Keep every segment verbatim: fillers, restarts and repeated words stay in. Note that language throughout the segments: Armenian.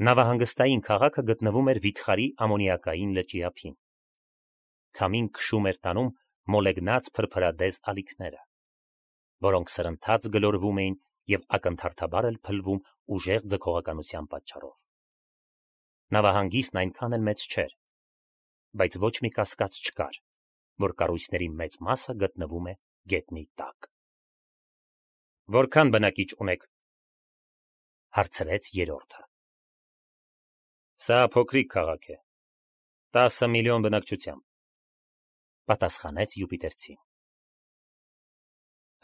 Նավահանգստային քաղաքը գտնվում էր Վիթխարի ամոնիակային լճի ափին։ Քամին քշում էր տանում մոլեգնած փրփրադես ալիքները, որոնք սրընթաց գլորվում էին և ակնթարթաբար էլ փլվում ուժեղ ձգողականության պատճառով։ Նավահանգիստն այնքան էլ մեծ չէր, բայց ոչ մի կասկած չկար, որ կառույցների մեծ մասը գտնվում է գետնի տակ։ Որքան բնակիչ ունեք, հարցրեց երրորդը։ Սա փոքրիկ քաղաք է, տասը միլիոն բնակչությամբ, պատասխանեց Յուպիտերցին։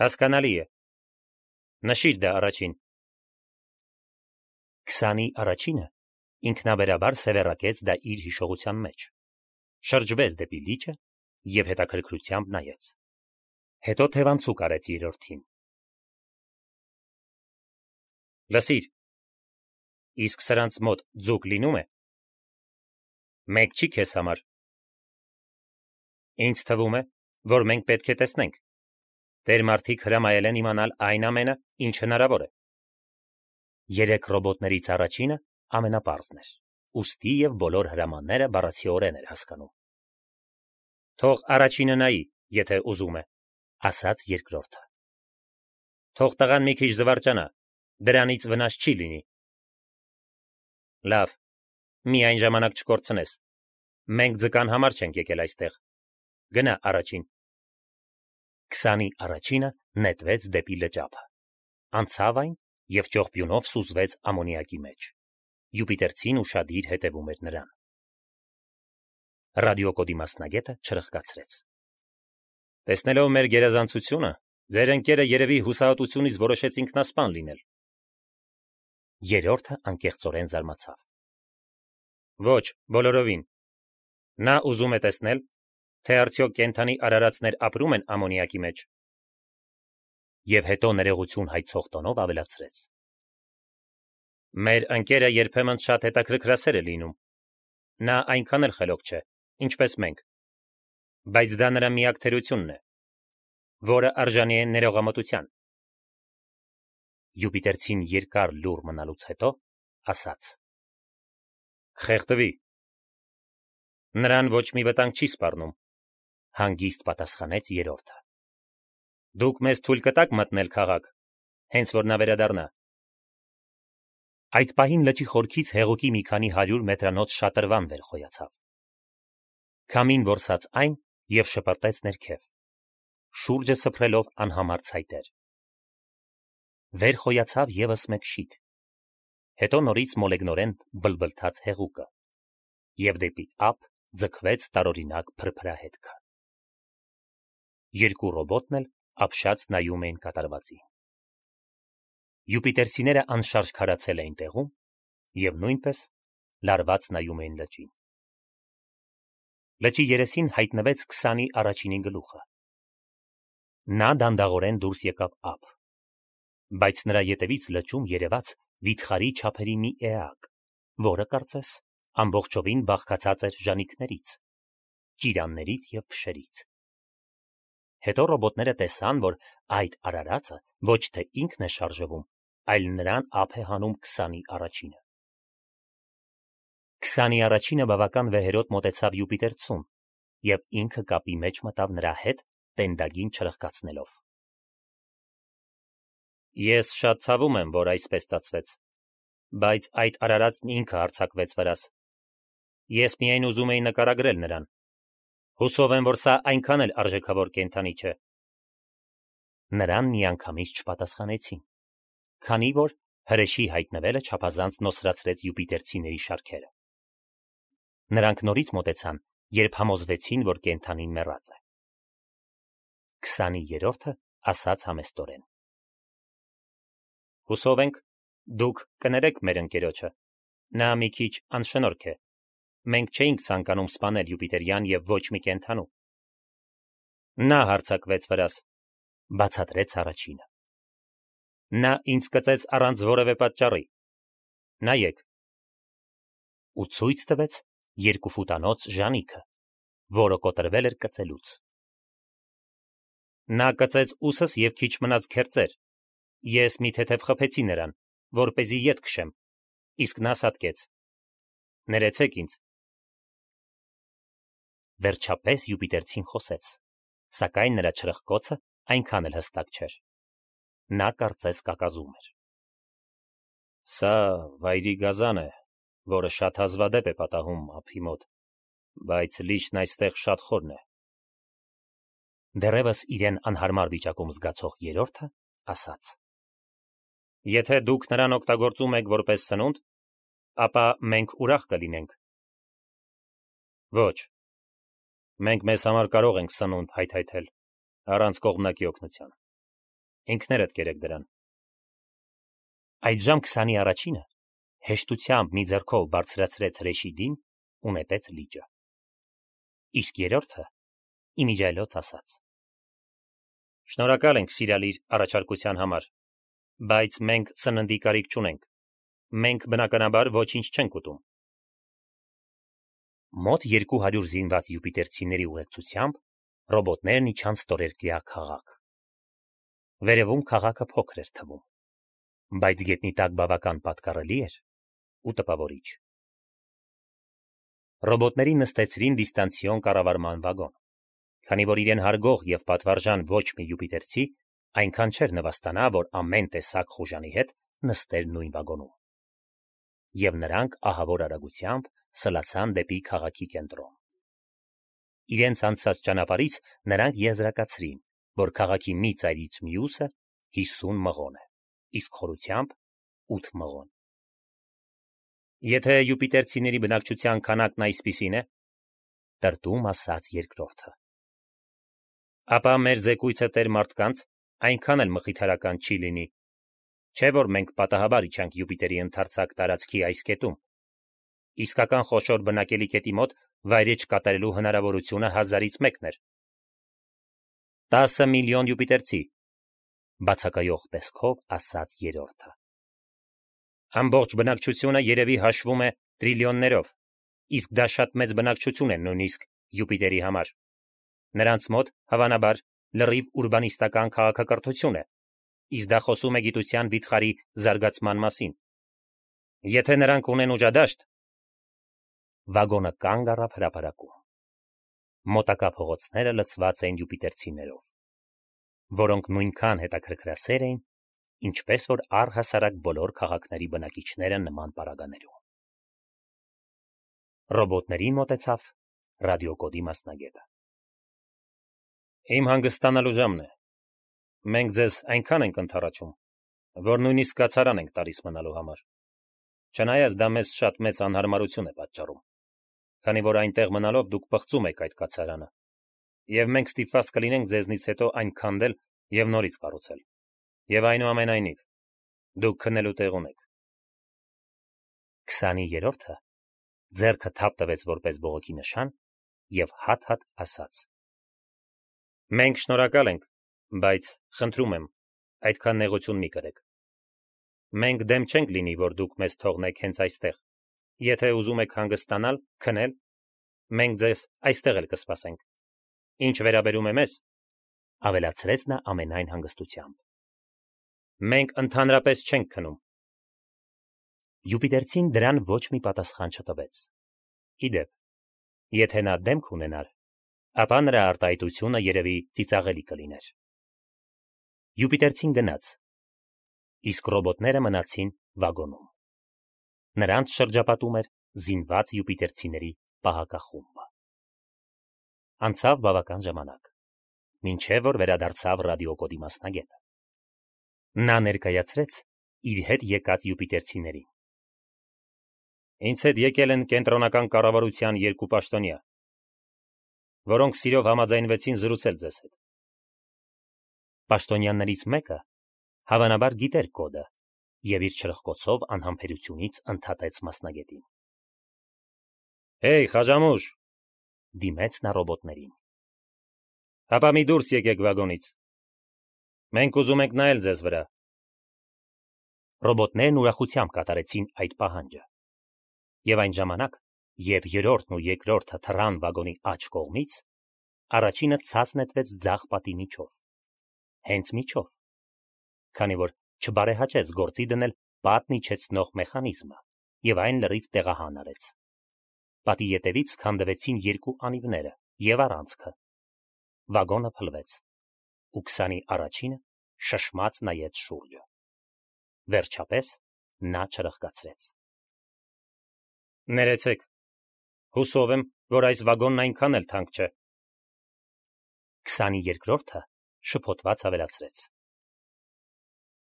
Հասկանալի է, նշիր դա առաջին։ Քսանի առաջինը ինքնաբերաբար սևեռակեց դա իր հիշողության մեջ, շրջվեց դեպի լիճը և հետաքրքրությամբ նայեց, հետո թևանցուկ արեց երրորդին։ Լսիր, իսկ սրանց մոտ ձուկ լինում է։ Մեկ չի քեզ համար։ Ինձ թվում է, որ մենք պետք է տեսնենք։ Տեր-մարդիկ հրամայել են իմանալ այն ամենը, ինչ հնարավոր է։ Երեք ռոբոտներից առաջինը ամենապարզն էր, ուստի և բոլոր հրամանները բառացիորեն էր հասկանում։ Թող առաջինը նայի, եթե ուզում է, ասաց երկրորդը։ Թող տղան մի քիչ զվարճանա, դրանից վնաս չի լինի։ Լավ, միայն ժամանակ չկորցնես։ Մենք ձկան համար չենք եկել այստեղ։ Գնա առաջին։ Քսանի առաջինը նետվեց դեպի լճափը, անցավ այն և ճողփյունով սուզվեց ամոնիակի մեջ։ Յուպիտերցին ուշադիր հետևում էր նրան։ Ռադիոկոդի մասնագետը չրխկացրեց։ Տեսնելով մեր գերազանցությունը, ձեր ընկերը երևի հուսահատությունից որոշեց ինքնասպան լինել։ Երրորդը անկեղծորեն զարմացավ։ Ոչ, բոլորովին։ Նա ուզում է տեսնել, թե արդյոք կենդանի արարածներ ապրում են ամոնիակի մեջ։ Եվ հետո ներողություն հայցող տոնով ավելացրեց. Մեր ընկերը երբեմն շատ հետաքրքրասեր է լինում։ Նա այնքան էլ խելոք չէ, ինչպես մենք։ Բայց դա նրա միակ թերությունն է, որը արժանի է ներողամտության։ Յուպիտերցին երկար լուռ մնալուց հետո ասաց. Խեղդվի։ Նրան ոչ մի վտանգ չի սպառնում, հանգիստ պատասխանեց երրորդը։ Դուք մեզ թույլ կտաք մտնել քաղաք, հենց որ նա վերադառնա։ Այդ պահին լճի խորքից հեղուկի մի քանի հարյուր մետրանոց շատրվան վեր խոյացավ։ Քամին որսաց այն և շպրտեց ներքև, շուրջը սփռելով անհամար ցայտեր։ Վեր խոյացավ ևս մեկ շիթ, հետո նորից մոլեգնորեն բլբլթաց հեղուկը, և դեպի ափ ձգվեց տարօրինակ փրփրահետքը։ Երկու ռոբոտն էլ ապշած նայում էին կատարվածին։ Յուպիտերցիները անշարժ քարացել էին տեղում և նույնպես լարված նայում էին լճին։ Լճի երեսին հայտնվեց քսանի առաջինի գլուխը։ Նա դանդաղորեն դուրս եկավ ափ, բայց նրա ետևից լճում երևաց վիթխարի չափերի մի էակ, որը, կարծես, ամբողջովին բաղկացած էր ժանիքներից, ճիրաններից և փշերից։ Հետո ռոբոտները տեսան, որ այդ արարածը ոչ թե ինքն է շարժվում, այլ նրան ափ է հանում քսանի առաջինը։ Քսանի առաջինը բավական վեհերոտ մոտեցավ Յուպիտերցուն և ինքը կապի մեջ մտավ նրա հետ, տենդագին չրխկացնելով։ Ես շատ ցավում եմ, որ այսպես ստացվեց, բայց այդ արարածն ինքը հարձակվեց վրաս։ Ես միայն ուզում էի նկարագրել նրան։ Հուսով եմ, որ սա այնքան էլ արժեքավոր կենդանի չէ։ Նրան միանգամից չպատասխանեցին, քանի որ հրեշի հայտնվելը չափազանց նոսրացրեց յուպիտերցիների շարքերը։ Նրանք նորից մոտեցան, երբ համոզվեցին, որ կենդանին մեռած է։ Քսանի երրորդը ասաց համեստորեն. Հուսով ենք, դուք կներեք մեր ընկերոջը։ Նա մի քիչ անշնորհք է։ Մենք չէինք ցանկանում սպանել յուպիտերյան և ոչ մի կենդանու։ Նա հարձակվեց վրաս, բացատրեց առաջինը։ Նա ինձ կծեց առանց որևէ պատճառի։ Նայեք։ Ու ցույց տվեց երկու ֆուտանոց ժանիքը, որը կոտրվել էր կծելուց։ Նա կծեց ուսս և քիչ մնաց քերծեր։ Ես մի թեթև խփեցի նրան, որպեսզի ետ քշեմ։ իսկ նա սատկեց. Ներեցեք ինձ։ Վերջապես Յուպիտերցին խոսեց, սակայն նրա չրխկոցը այնքան էլ հստակ չէր։ Նա կարծես կակազում էր։ Սա վայրի գազան է, որը շատ հազվադեպ է պատահում ափի մոտ, բայց լիճն այստեղ շատ խորն է։ Դեռևս իրեն անհարմար վիճակում զգացող երրորդը ասաց. Եթե դուք նրան օգտագործում եք որպես սնունդ, ապա մենք ուրախ կլինենք։ Ոչ։ Մենք մեզ համար կարող ենք սնունդ հայթայթել, առանց կողմնակի օգնության։ Ինքներդ կերեք դրան։ Այդժամ քսանի առաջինը հեշտությամբ մի ձեռքով բարձրացրեց հրեշի դին ու նետեց լիճը։ Իսկ երրորդը իմիջայլոց ասաց. Շնորհակալ ենք, սիրալիր, առաջարկության համար, բայց մենք սննդի կարիք չունենք։ Մենք բնականաբար ոչինչ չենք ուտում։ Մոտ երկու հարյուր զինված յուպիտերցիների ուղեկցությամբ ռոբոտներն իջան ստորերկրյա քաղաք։ Վերևում քաղաքը փոքր էր թվում, բայց գետնի տակ բավական պատկառելի էր ու տպավորիչ։ Ռոբոտներին նստեցրին դիստանցիոն կառավարման վագոն, քանի որ իրեն հարգող եւ պատվարժան ոչ մի յուպիտերցի այնքան չէր նվաստանա, որ ամեն տեսակ խուժանի հետ նստեր նույն վագոնում։ Եվ նրանք ահավոր արագությամբ սլացան դեպի քաղաքի կենտրոն։ Իրենց անցած ճանապարհից նրանք եզրակացրին, որ քաղաքի մի ծայրից մյուսը հիսուն մղոն է, իսկ խորությամբ ութ մղոն։ Եթե յուպիտերցիների բնակչության քանակն այսպիսին է, տրտում ասաց երկրորդը, ապա մեր զեկույցը տեր մարդկանց այնքան էլ մխիթարական չի լինի, չէ որ մենք պատահաբար իջանք Յուպիտերի ընդարձակ տարածքի այս կետում։ Իսկական խոշոր բնակելի կետի մոտ վայրեջ կատարելու հնարավորությունը հազարից մեկն էր։ Տասը միլիոն յուպիտերցի, բացակայող տեսքով ասաց երրորդը։ Ամբողջ բնակչությունը երևի հաշվում է տրիլիոններով, իսկ դա շատ մեծ բնակչություն է նույնիսկ Յուպիտերի համար։ Նրանց մոտ, հավանաբար, լրիվ ուրբանիստական քաղաքակրթություն է, իսկ դա խոսում է գիտության վիթխարի զարգացման մասին։ Եթե նրանք ունեն ուժադաշտ, վագոնը կանգ առավ հրապարակում։ Մոտակա փողոցները լցված էին յուպիտերցիներով, որոնք նույնքան հետաքրքրասեր էին, ինչպես որ առհասարակ բոլոր քաղաքների բնակիչները նման պարագաներում։ Ռոբոտներին մոտեցավ ռադիոկոդի մասնագետը։ Իմ հանգստանալու ժամն է։ Մենք ձեզ այնքան ենք ընդառաջում, որ նույնիսկ կացարան ենք տալիս մնալու համար։ Չնայած դա մեզ շատ մեծ անհարմարություն է պատճառում, քանի որ այնտեղ մնալով դուք պղծում եք այդ կացարանը, եւ մենք ստիպված կլինենք ձեզնից հետո այն քանդել եւ նորից կառուցել։ Եվ այնուամենայնիվ, դուք քնելու տեղ ունեք։ Քսանի երրորդը ձեռքը թափ տվեց որպես բողոքի նշան եւ հատ-հատ ասաց. Մենք շնորհակալ ենք, բայց խնդրում եմ, այդքան նեղություն մի կրեք։ Մենք դեմ չենք լինի, որ դուք մեզ թողնեք հենց այստեղ։ Եթե ուզում եք հանգստանալ, քնել, մենք ձեզ այստեղ էլ կսպասենք։ Ինչ վերաբերում է մեզ, ավելացրեց նա ամենայն հանգստությամբ, մենք ընդհանրապես չենք քնում։ Յուպիտերցին դրան ոչ մի պատասխան չտվեց։ Իդեպ, եթե նա դեմք ունենար, ապա նրա արտահայտությունը երևի ծիծաղելի կլիներ։ Յուպիտերցին գնաց, իսկ ռոբոտները մնացին վագոնում։ Նրանց շրջապատում էր զինված յուպիտերցիների պահակախումբը։ Անցավ բավական ժամանակ, մինչև որ վերադարձավ ռադիոկոդի մասնագետը։ Նա ներկայացրեց իր հետ եկած յուպիտերցիներին։ Ինձ հետ եկել են կենտրոնական կառավարության երկու պաշտոնյա, որոնք սիրով համաձայնվեցին զրուցել ձեզ հետ։ Պաշտոնյաներից մեկը հավանաբար գիտեր կոդը եւ իր չրխկոցով անհամբերությունից ընդհատեց մասնագետին։ Հեյ, խաժամուշ, դիմեց նա ռոբոտներին։ Հապա մի դուրս եկեք վագոնից։ Մենք ուզում ենք նայել ձեզ վրա։ Ռոբոտներն ուրախությամբ կատարեցին այդ պահանջը։ Եվ այն ժամանակ, երբ երրորդն ու երկրորդը թռան վագոնի աջ կողմից, առաջինը ցած նետվեց ձախ պատի միջով։ Հենց միջով, քանի որ չբարեհաճեց գործի դնել պատն իջեցնող մեխանիզմը, եւ այն լրիվ տեղահան արեց։ Պատի ետևից քանդվեցին երկու անիվները եւ առանցքը։ Վագոնը փլվեց, ու քսանի առաջինը շշմած նայեց շուրջը։ Վերջապես նա չրխկացրեց. Ներեցեք, հուսով եմ, որ այս վագոնն այնքան էլ թանկ չէ։ քսաներկրորդը շփոթված ավելացրեց.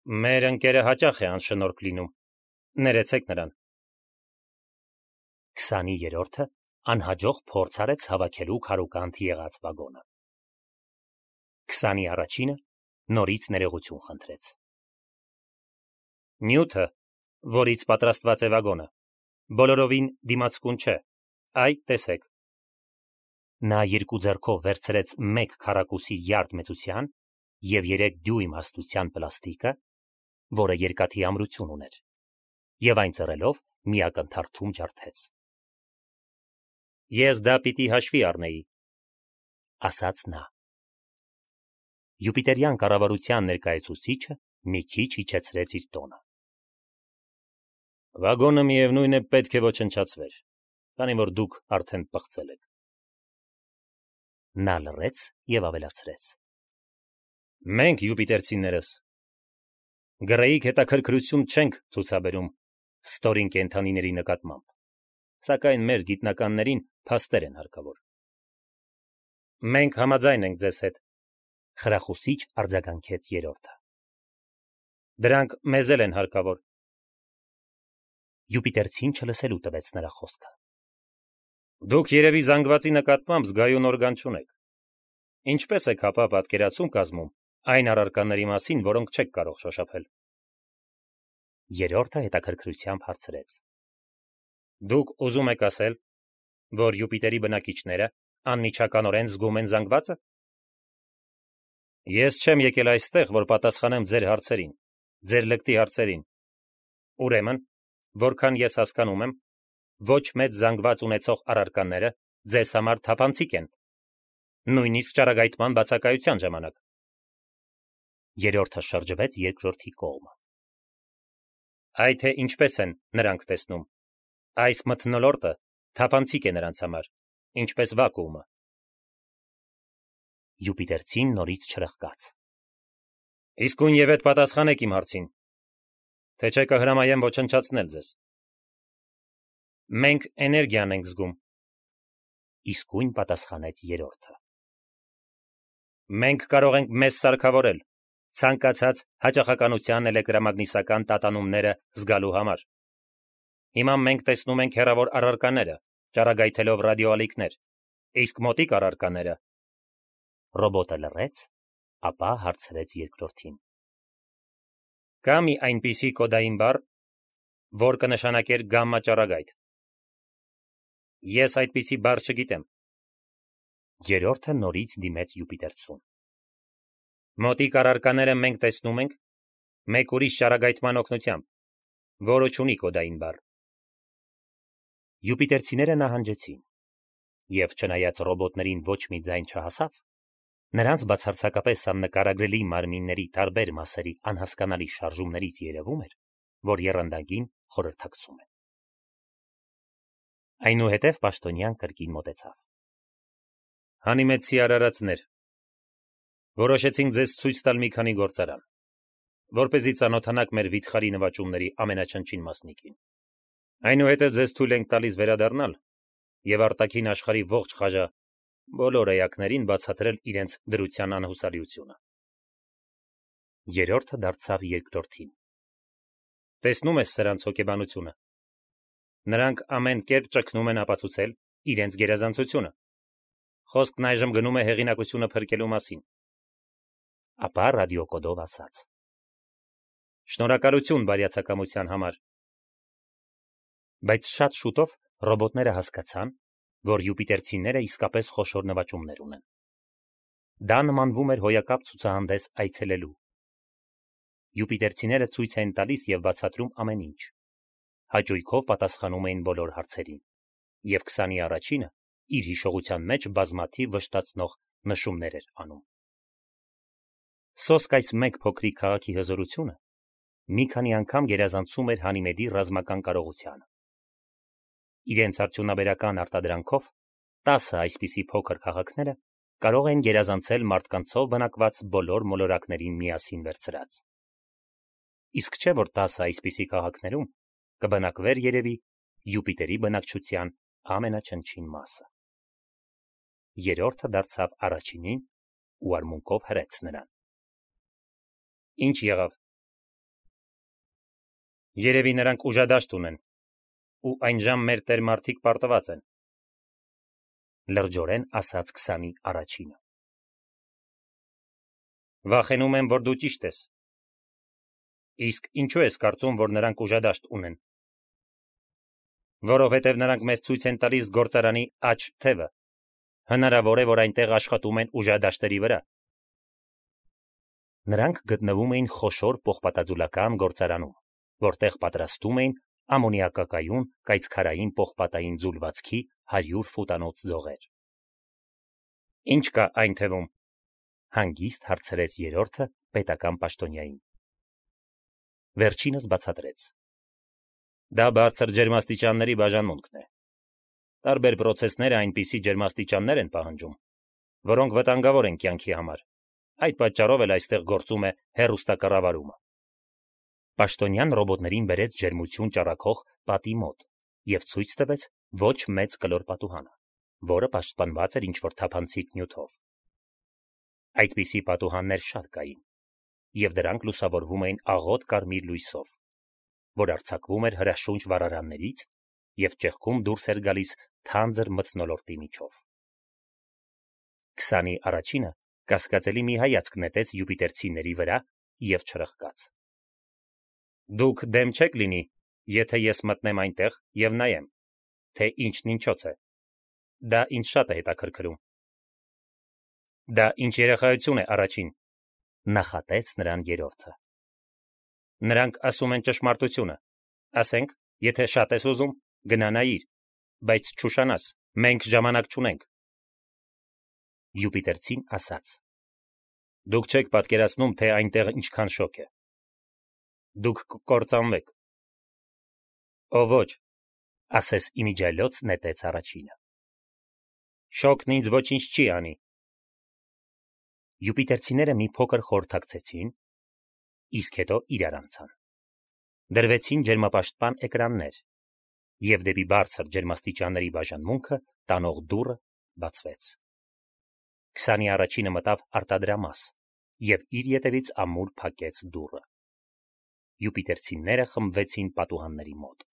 Մեր ընկերը հաճախ է անշնորհք լինում, ներեցեք նրան։ քսաներորդը անհաջող փորձ արեց հավաքելու քարուկանտ եղած վագոնը։ քսանի առաջինը նորից ներողություն խնդրեց։ Նյութը, որից պատրաստված է վագոնը, բոլորովին դիմացկուն չէ, այ տեսեք։ Նա երկու ձեռքով վերցրեց մեկ քառակուսի յարդ մեծության եւ երեք դյույմ հաստության պլաստիկը, որը երկաթի ամրություն ուներ, եւ այն ծռելով մի ակնթարթում ջարդեց։ Ես դա պիտի հաշվի առնեի, ասաց նա։ Յուպիտերյան կառավարության ներկայացուցիչը մի քիչ իջեցրեց իր տոնը։ Վագոնը միևնույն է պետք է ոչնչացվեր, քանի որ դուք արդեն պղծել եք։ Նա լռեց եւ ավելացրեց. Մենք յուպիտերցիներս գրեիք հետաքրքրություն չենք ցուցաբերում ստորին կենդանիների նկատմամբ, սակայն մեր գիտնականներին փաստեր են հարկավոր։ Մենք համաձայն ենք ձեզ հետ, խրախուսիչ արձագանքեց երրորդը։ Դրանք մեզ էլ են հարկավոր։ Յուպիտերցին չլսելու տվեց նրա խոսքը։ Դուք երևի զանգվածի նկատմամբ զգայուն օրգան չունեք։ Ինչպես եք հապա պատկերացում կազմում այն առարկաների մասին, որոնք չեք կարող շոշափել։ Երրորդը հետաքրքրությամբ հարցրեց. Դուք ուզում եք ասել, որ Յուպիտերի բնակիչները անմիջականորեն զգում են զանգվածը։ Ես չեմ եկել այստեղ, որ պատասխանեմ ձեր հարցերին, ձեր լկտի հարցերին։ Ուրեմն, որքան ես հասկանում եմ, ոչ մեծ զանգված ունեցող առարկաները ձեզ համար թափանցիկ են, նույնիսկ ճառագայթման բացակայության ժամանակ։ Երրորդը շրջվեց երկրորդի կողմը։ Այ թե ինչպես են նրանք տեսնում։ Այս մթնոլորտը թափանցիկ է նրանց համար, ինչպես վակուումը։ Յուպիտերցին նորից չրխկաց։ Իսկույն եւ այդ պատասխանեք իմ հարցին, թե չէ կհրամայեմ ոչնչացնել ձեզ։ Մենք էներգիան ենք զգում։ Իսկույն պատասխանեց երրորդը։ Մենք կարող ենք մեզ սարքավորել ցանկացած հաճախականության էլեկտրամագնիսական տատանումները զգալու համար։ Հիմա մենք տեսնում ենք հեռավոր առարկաները, ճառագայթելով ռադիոալիքներ, իսկ մոտիկ առարկաները։ Ռոբոտը լռեց, ապա հարցրեց երկրորդին. Կա մի այնպիսի կոդային բառ, որ կնշանակեր գամմա ճառագայթ։ Ես այդպիսի բառ չգիտեմ։ Երրորդը նորից դիմեց Յուպիտերցուն։ Մոտիկ առարկաները մենք տեսնում ենք մեկ ուրիշ ճառագայթման օգնությամբ, որը չունի կոդային բառ։ Յուպիտերցիները նահանջեցին, եւ չնայած ռոբոտներին ոչ մի ձայն չհասավ, նրանց բացարձակապես աննկարագրելի մարմինների տարբեր մասերի անհասկանալի շարժումներից երևում էր, որ եռանդագին խորհրդակցում են։ Այնուհետև պաշտոնյան կրկին մոտեցավ։ Հանիմեցի արարածներ, որոշեցինք ձեզ ցույց տալ մի քանի գործարան, որպեսզի ծանոթանաք մեր վիթխարի նվաճումների ամենաչնչին մասնիկին։ Այնուհետև ձեզ թույլ ենք տալիս վերադառնալ եւ արտաքին աշխարհի ողջ խաժա բոլոր էակներին բացատրել իրենց դրության անհուսալիությունը։ Երրորդը դարձավ երկրորդին։ Տեսնում ես սրանց հոգեբանությունը։ Նրանք ամեն կերպ ճգնում են ապացուցել իրենց գերազանցությունը։ Խոսքն այժմ գնում է հեղինակությունը փրկելու մասին։ Ապա ռադիոկոդով ասաց. Շնորհակալություն բարյացակամության համար։ Բայց շատ շուտով ռոբոտները հասկացան, որ յուպիտերցիները իսկապես խոշոր նվաճումներ ունեն։ Դա նմանվում էր հոյակապ ցուցահանդես այցելելու։ Յուպիտերցիները ցույց են տալիս եւ բացատրում ամեն ինչ։ Հաճույքով պատասխանում էին բոլոր հարցերին, եւ քսանի առաջինը իր հիշողության մեջ բազմաթիվ վշտացնող նշումներ էր անում։ Սոսկ այս մեկ փոքրիկ քաղաքի հզորությունը մի քանի անգամ գերազանցում էր Հանիմեդի ռազմական կարողությանը։ Իրենց արդյունաբերական արտադրանքով տասը այսպիսի փոքր քաղաքները կարող են գերազանցել մարդկանցով բնակված բոլոր մոլորակներին միասին վերցրած։ Իսկ չէ որ տասը այսպիսի քաղաքներում կբնակվեր երևի Յուպիտերի բնակչության ամենաչնչին մասը։ Երրորդը դարձավ առաջինին ու արմունկով հրեց նրան։ Ինչ եղավ։ Երևի նրանք ուժադաշտ ունեն, ու այն ժամ մեր տեր մարդիկ պարտված են։ Լրջորեն ասաց քսանի առաջինը։ Վախենում եմ, որ դու ճիշտ ես։ Իսկ ինչու ես կարծում, որ նրանք ուժադաշտ ունեն։ Որովհետև նրանք մեզ ցույց են տալիս գործարանի աջ թևը։ Հնարավոր է, որ այնտեղ աշխատում են ուժադաշտերի վրա։ Նրանք գտնվում էին խոշոր պողպատաձուլական գործարանում, որտեղ պատրաստում էին ամոնիակակայուն կայծքարային պողպատային ձուլվածքի հարյուր ֆուտանոց ձողեր։ Ինչ կա այն թվում։ Հանգիստ հարցրեց երրորդը պետական պաշտոնյային։ Վերջինս բացատրեց։ Դա բարձր ջերմաստիճանների բաժանմունքն է։ Տարբեր պրոցեսները այնպիսի ջերմաստիճաններ են պահանջում, որոնք վտանգավոր են կյանքի համար։ Այդ պատճառով էլ այստեղ գործում է հեռուստակառավարումը։ Պաշտոնյան ռոբոտներին բերեց ջերմություն ճառագող պատի մոտ և ցույց տվեց ոչ մեծ կլոր պատուհանը, որը պաշտպանված էր ինչ-որ թափանցիկ նյութով։ Այդպիսի պատուհաններ շատ կային, և դրանք լուսավորվում էին աղոտ կարմիր լույսով, որ արձակվում էր հրաշունչ վառարաններից և ճեղքում դուրս էր գալիս թանձր մթնոլորտի միջով։ Քսանի առաջինը կասկածելի մի հայացք նետեց յուպիտերցիների վրա և չրխկաց։ Դուք դեմ չեք լինի, եթե ես մտնեմ այնտեղ և նայեմ, թե ինչն ինչոց է։ Դա ինձ շատ է հետաքրքրում։ Դա ինչ երեխայություն է առաջին, նախատեց նրան երրորդը։ Նրանք ասում են ճշմարտությունը։ Ասենք, եթե շատ ես ուզում, գնա նայիր, բայց չուշանաս, մենք ժամանակ չունենք։ Յուպիտերցին ասաց. Դուք չեք պատկերացնում, թե այնտեղ ինչքան շոգ է։ Դուք կկործանվեք։ Ո ոչ, ասես իմիջիայլոց նետեց առաջինը։ Շոգն ինձ ոչինչ չի անի։ Յուպիտերցիները մի փոքր խորհրդակցեցին, իսկ հետո իրար անցան։ Դրվեցին ջերմապաշտպան էկրաններ, և դեպի բարձր ջերմաստիճանների բաժանմունքը տանող դուռը բացվեց։ Քսանի առաջինը մտավ արտադրամաս և իր ետևից ամուր փակեց դուռը։ Յուպիտերցիները խմբվեցին պատուհանների մոտ։